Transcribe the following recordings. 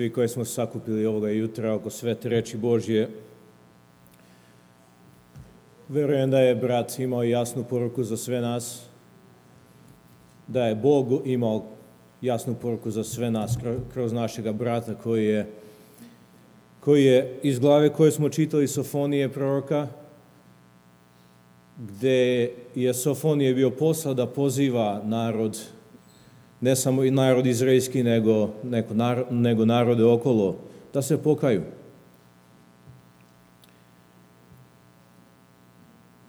Svi koji smo sakupili ovoga jutra oko svete reči Božje, verujem da je brat imao jasnu poruku za sve nas, da je Bog imao jasnu poruku za sve nas kroz našega brata koji je iz glave koje smo čitali Sofonije proroka, gde je Sofonije bio posao da poziva narod, ne samo i narod izraelski, nego narode okolo, da se pokaju.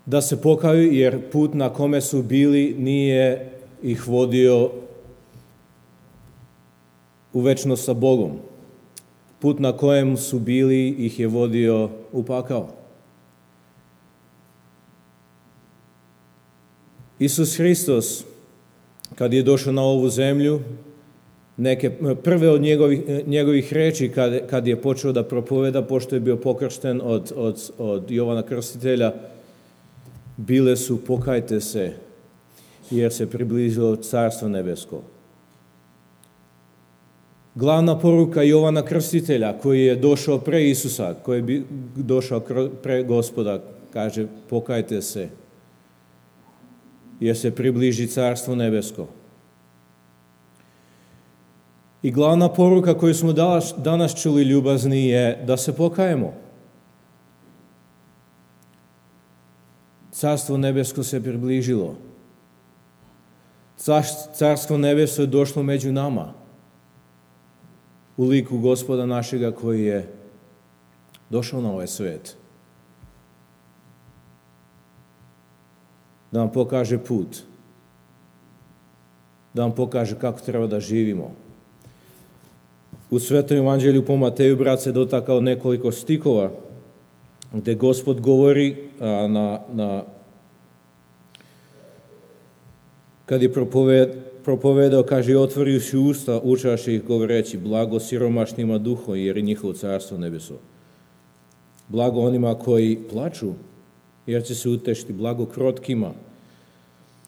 Da se pokaju jer put na kome su bili nije ih vodio u večnost sa Bogom. Put na kojem su bili ih je vodio u pakao. Isus Hristos, kad je došao na ovu zemlju, neke prve od njegovih reči kad je počeo da propoveda, pošto je bio pokršten od Jovana Krstitelja, bile su: pokajte se, jer se približilo Carstvo nebesko. Glavna poruka Jovana Krstitelja, koji je došao pre Isusa, koji je došao pre Gospoda, kaže: pokajte se, jer se približi Carstvo nebesko. I glavna poruka koju smo danas čuli, ljubazni, je da se pokajemo. Carstvo nebesko se približilo. Carstvo nebesko je došlo među nama, u liku Gospoda našega koji je došao na ovaj svet. Da nam pokaže put, da nam pokaže kako treba da živimo. U Svetom evanđelju po Mateju brat se dotakao nekoliko stikova gde Gospod govori kad je propovedao, kaže: otvorio si usta, učaše ih govoreći: blago siromašnima duhom, jer je njihovo carstvo nebeso. Blago onima koji plaču, jer će se utešiti. Blago krotkima,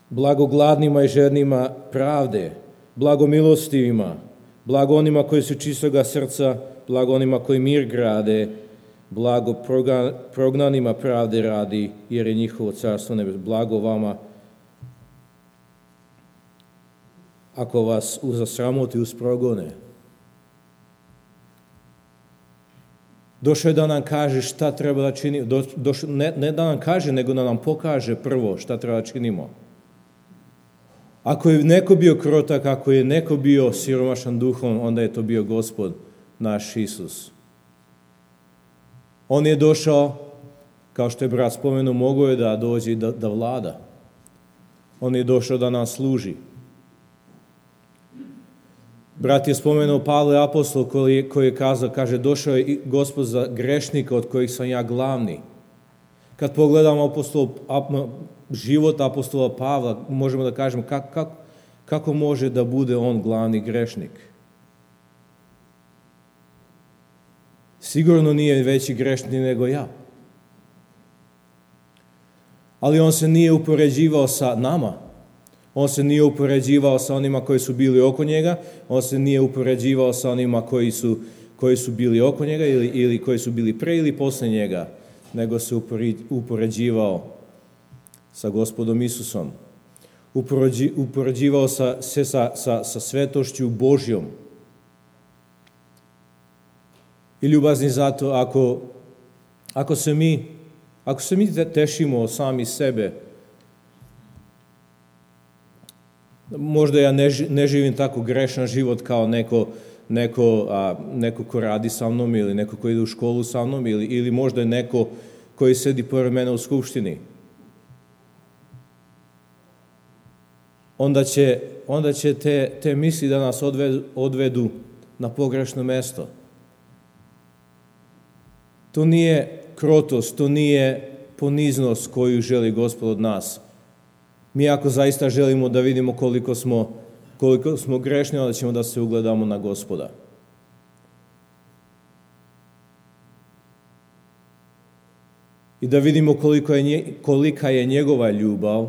blago gladnima i žednima pravde, blago milostivima, blago onima koji su čistoga srca, blago onima koji mir grade, blago prognanima pravde radi, jer je njihovo carstvo nebesko. Blago vama ako vas zasramoti uz progone. Došao je da nam kaže šta treba da činimo. Ne da nam kaže, nego da nam pokaže prvo šta treba da činimo. Ako je neko bio krotak, ako je neko bio siromašan duhom, onda je to bio Gospod naš Isus. On je došao, kao što je brat spomenuo, mogao je da dođe i da vlada. On je došao da nam služi. Brat je spomenuo Pavle apostol koji je kazao, kaže: došao je Gospod za grešnika od kojih sam ja glavni. Kad pogledamo život apostola Pavla, možemo da kažemo kako može da bude on glavni grešnik. Sigurno nije veći grešnik nego ja. Ali on se nije upoređivao sa nama. On se nije upoređivao sa onima koji su bili oko njega, on se nije upoređivao sa onima koji su bili oko njega ili koji su bili pre ili posle njega, nego se upoređivao sa Gospodom Isusom. Upoređivao se sa svetošću Božjom. I ljubazni, zato ako se mi tešimo sami sebe, možda ja ne živim tako grešan život kao neko ko radi sa mnom, ili neko ko ide u školu sa mnom, ili možda je neko koji sedi pored mene u skupštini. Onda će te misli da nas odvedu na pogrešno mesto. To nije krotost, to nije poniznost koju želi Gospod od nas. Mi ako zaista želimo da vidimo koliko smo grešni, onda ćemo da se ugledamo na Gospoda. I da vidimo kolika je njegova ljubav,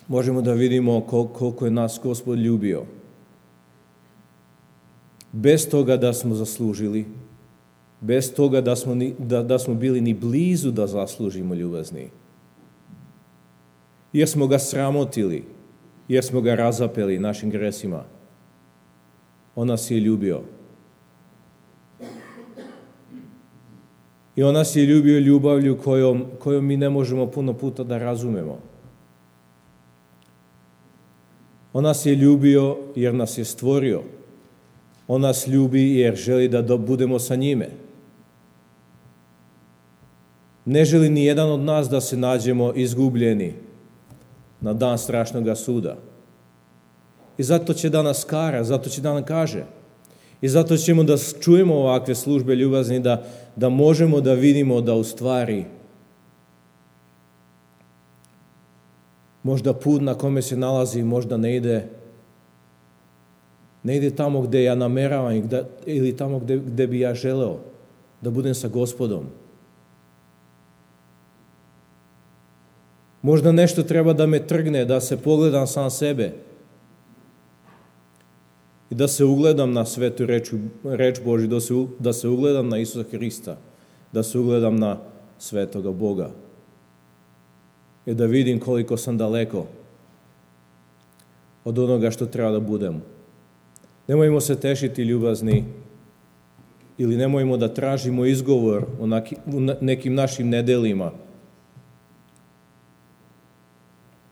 možemo da vidimo koliko je nas Gospod ljubio. bez toga da smo zaslužili, bez toga da smo bili ni blizu da zaslužimo ljubazni. Jer smo ga sramotili, jer smo ga razapeli našim gresima. On nas je ljubio. I on nas je ljubio ljubavlju kojom mi ne možemo puno puta da razumemo. On nas je ljubio jer nas je stvorio. On nas ljubi jer želi da budemo sa njime. Ne želi ni jedan od nas da se nađemo izgubljeni na dan strašnoga suda. I zato će da nas kara, zato će da nam kaže. I zato ćemo da čujemo ovakve službe ljubazni, da možemo da vidimo da u stvari možda put na kome se nalazi možda ne ide tamo gde ja nameravam ili tamo gde bi ja želeo da budem sa Gospodom. Možda nešto treba da me trgne, da se pogledam sam sebe i da se ugledam na svetu reč Božju, da se ugledam na Isusa Hrista, da se ugledam na svetoga Boga i da vidim koliko sam daleko od onoga što treba da budem. Nemojmo se tešiti ljubazni ili nemojmo da tražimo izgovor u nekim našim nedelima,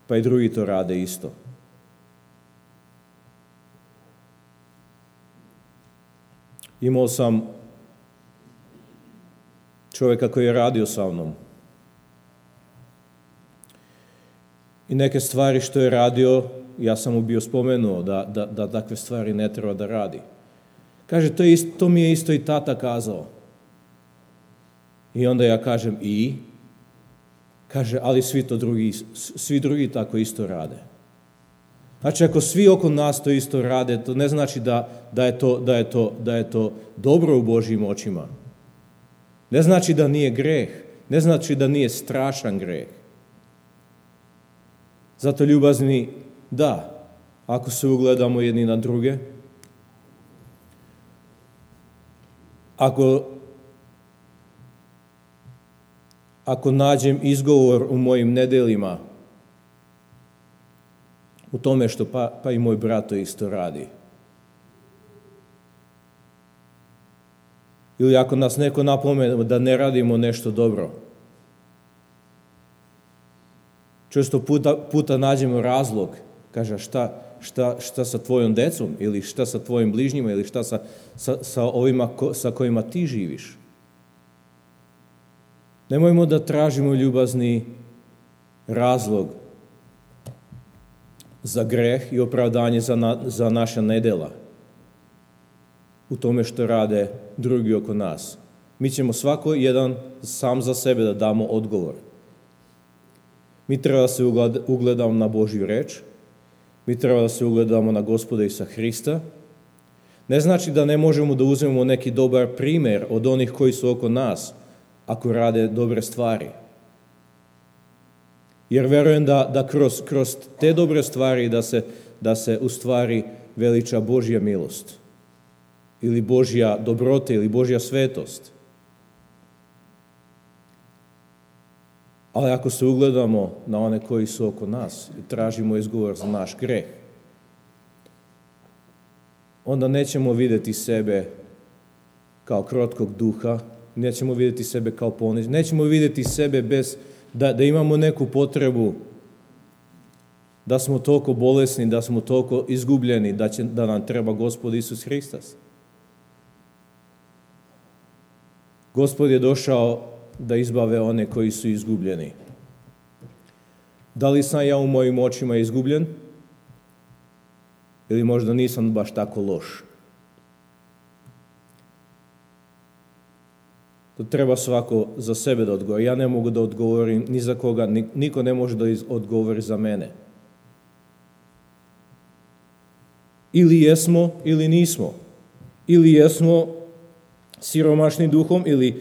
pa i drugi to rade isto. Imao sam čovjeka koji je radio sa mnom. I neke stvari što je radio, ja sam mu bio spomenuo da takve stvari ne treba da radi. Kaže, to mi je isto i tata kazao. I onda ja kažem, i? Kaže, ali svi drugi tako isto rade. Znači, ako svi oko nas to isto rade, to ne znači da je to dobro u Božjim očima. Ne znači da nije greh. Ne znači da nije strašan greh. Zato ljubazni, da, ako se ugledamo jedni na druge, ako nađem izgovor u mojim nedelima, u tome što pa i moj brat to isto radi. Ili ako nas neko napomene da ne radimo nešto dobro. Često puta nađemo razlog, kaže šta sa tvojom decom, ili šta sa tvojim bližnjima, ili šta sa ovima sa kojima ti živiš. Nemojmo da tražimo ljubazni razlog za greh i opravdanje za naša nedela u tome što rade drugi oko nas. Mi ćemo svako jedan sam za sebe da damo odgovor. Mi treba da se ugledamo na Božju reč, mi treba da se ugledamo na Gospoda Isusa Hrista. Ne znači da ne možemo da uzmemo neki dobar primer od onih koji su oko nas, ako rade dobre stvari. Jer verujem da kroz te dobre stvari da se u stvari veliča Božja milost ili Božja dobrota ili Božja svetost. Ali ako se ugledamo na one koji su oko nas i tražimo izgovor za naš greh, onda nećemo vidjeti sebe kao krotkog duha, nećemo vidjeti sebe kao ponižen, nećemo vidjeti sebe bez da imamo neku potrebu, da smo toliko bolesni, da smo toliko izgubljeni, da nam treba Gospod Isus Hristos. Gospod je došao da izbave one koji su izgubljeni. Da li sam ja u mojim očima izgubljen? Ili možda nisam baš tako loš? To treba svako za sebe da odgovori. Ja ne mogu da odgovorim ni za koga, niko ne može da odgovori za mene. Ili jesmo, ili nismo. Ili jesmo siromašni duhom, ili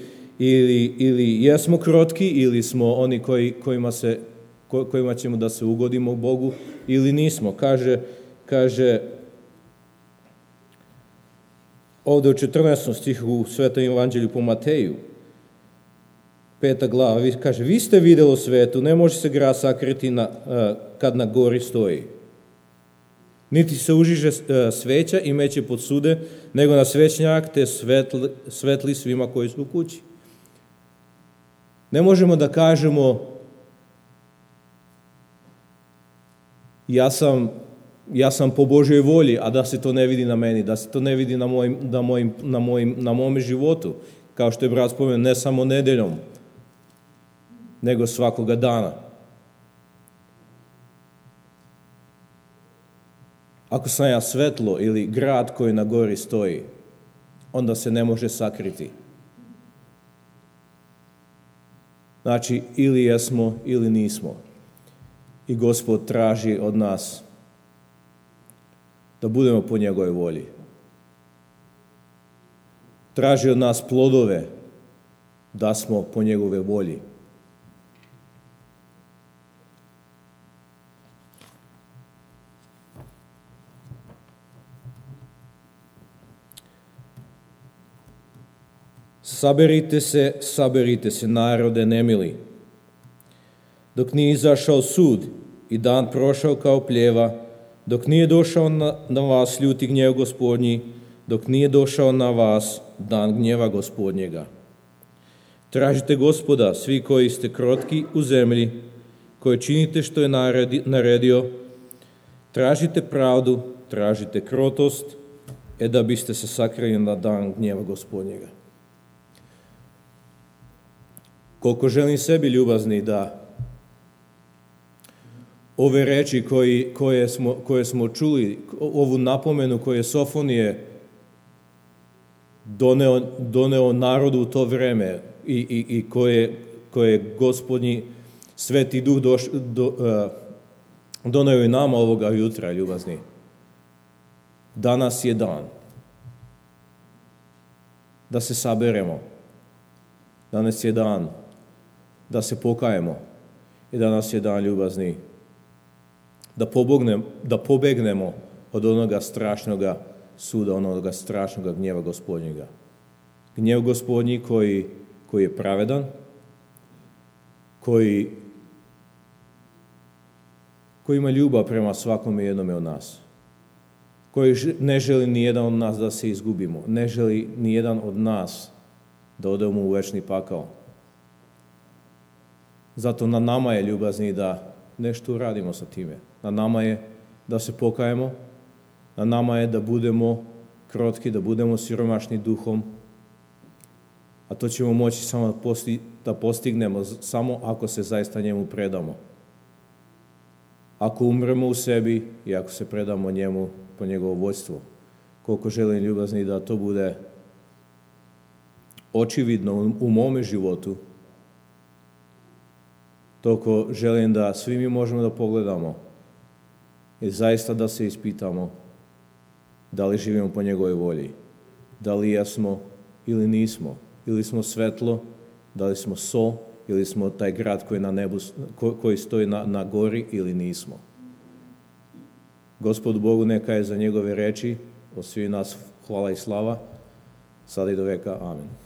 jesmo krotki, ili smo oni kojima ćemo da se ugodimo Bogu, ili nismo. Kaže ovdje u 14. stihu u Svetom evanđelju po Mateju, 5. glava, kaže, vi ste vidjeli svetu, ne može se grad sakriti kad na gori stoji. Niti se užiže sveća i meće pod sude, nego na svećnjak te svetli svima koji su u kući. Ne možemo da kažemo ja sam po Božjoj volji, a da se to ne vidi na meni, da se to ne vidi na mome životu, kao što je brat spomenuo, ne samo nedeljom, nego svakoga dana. Ako sam ja svetlo ili grad koji na gori stoji, onda se ne može sakriti. Znači, ili jesmo ili nismo. I Gospod traži od nas da budemo po njegovoj volji. Traži od nas plodove da smo po njegove volji. Saberite se, narode nemili. Dok nije izašao sud i dan prošao kao pljeva, dok nije došao na vas ljuti gnjev Gospodnji, dok nije došao na vas dan gnjeva Gospodnjega. Tražite Gospoda, svi koji ste krotki u zemlji, koji činite što je naredio, tražite pravdu, tražite krotost, da biste se sakrili na dan gnjeva Gospodnjega. Koliko želim sebi, ljubazni, da ove reči koje smo čuli, ovu napomenu koju je Sofonije doneo narodu u to vreme i koje Gospodnji Sveti Duh doneo i nama ovoga jutra, ljubazni. Danas je dan da se saberemo. Danas je dan da se pokajemo i danas je dan, ljubazni, da pobegnemo od onoga strašnoga suda, onoga strašnoga gnjeva Gospodnjega. Gnjev Gospodnji koji je pravedan, koji ima ljubav prema svakome jednome od nas, koji ne želi ni jedan od nas da se izgubimo, ne želi ni jedan od nas da odemo u večni pakao. Zato na nama je, ljubazni, da nešto uradimo sa time. Na nama je da se pokajemo, na nama je da budemo krotki, da budemo siromašni duhom, a to ćemo moći samo da postignemo samo ako se zaista njemu predamo. Ako umremo u sebi i ako se predamo njemu po njegovo vođstvo. Koliko želim, ljubazni, da to bude očividno u mome životu, toliko želim da svi mi možemo da pogledamo i zaista da se ispitamo da li živimo po njegovoj volji, da li jesmo ili nismo, ili smo svetlo, da li smo so, ili smo taj grad koji na nebu, koji stoji na gori, ili nismo. Gospodu Bogu neka je za njegove reči, od svih nas hvala i slava, sada i do veka. Amen.